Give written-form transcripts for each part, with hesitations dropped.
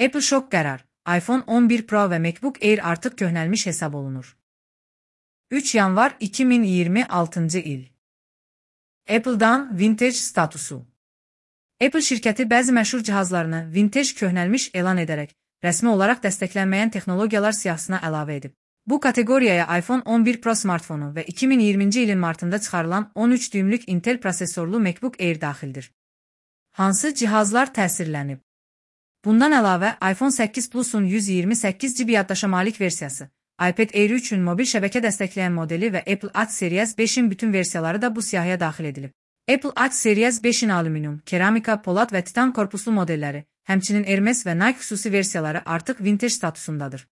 Apple şok qərar. iPhone 11 Pro və MacBook Air artıq köhnəlmiş hesab olunur. 3 yanvar 2026 il. Apple'dan vintage statusu. Apple şirkəti bəzi məşhur cihazlarını vintage köhnəlmiş elan edərək, rəsmi olaraq dəstəklənməyən texnologiyalar siyahısına əlavə edib. Bu kateqoriyaya iPhone 11 Pro smartfonu və 2020-ci ilin martında çıxarılan 13 düymlük Intel prosesorlu MacBook Air daxildir. Hansı cihazlar təsirlənib? Bundan əlavə, iPhone 8 Plus-un 128 GB yaddaşa malik versiyası, iPad Air 3-ün mobil şəbəkə dəstəkləyən modeli və Apple Watch Series 5-in bütün versiyaları da bu siyahıya daxil edilib. Apple Watch Series 5-in alüminium, keramika, polad və titan korpuslu modelləri, həmçinin Hermes və Nike xüsusi versiyaları artıq vintage statusundadır.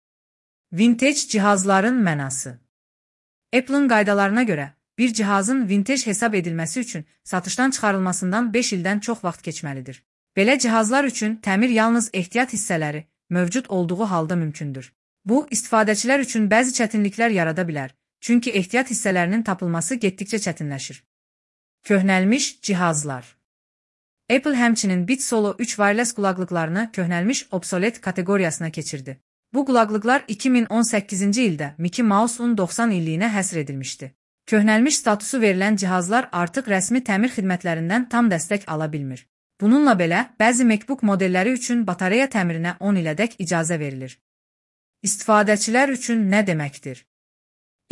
Vintage cihazların mənası. Apple'ın qaydalarına görə, bir cihazın vintage hesab edilməsi üçün satışdan çıxarılmasından 5 ildən çox vaxt keçməlidir. Belə cihazlar üçün təmir yalnız ehtiyat hissələri mövcud olduğu halda mümkündür. Bu, istifadəçilər üçün bəzi çətinliklər yarada bilər, çünki ehtiyat hissələrinin tapılması getdikcə çətinləşir. Köhnəlmiş cihazlar. Apple həmçinin Beats Solo 3 wireless qulaqlıqlarını köhnəlmiş obsolet kateqoriyasına keçirdi. Bu qulaqlıqlar 2018-ci ildə Mickey Mouse-un 90 illiyinə həsr edilmişdi. Köhnəlmiş statusu verilən cihazlar artıq rəsmi təmir xidmətlərindən tam dəstək ala bilmir. Bununla belə, bəzi MacBook modelləri üçün batareya təmirinə 10 ilədək icazə verilir. İstifadəçilər üçün nə deməkdir?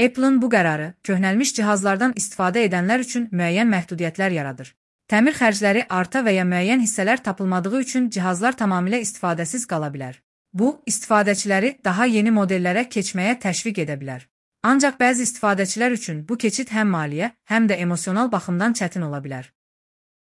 Apple'ın bu qərarı, köhnəlmiş cihazlardan istifadə edənlər üçün müəyyən məhdudiyyətlər yaradır. Təmir xərcləri arta və ya müəyyən hissələr tapılmadığı üçün cihazlar tamamilə istifadəsiz qala bilər. Bu, istifadəçiləri daha yeni modellərə keçməyə təşviq edə bilər. Ancaq bəzi istifadəçilər üçün bu keçid həm maliyyə, həm də emosional baxımdan çətin ola bilər.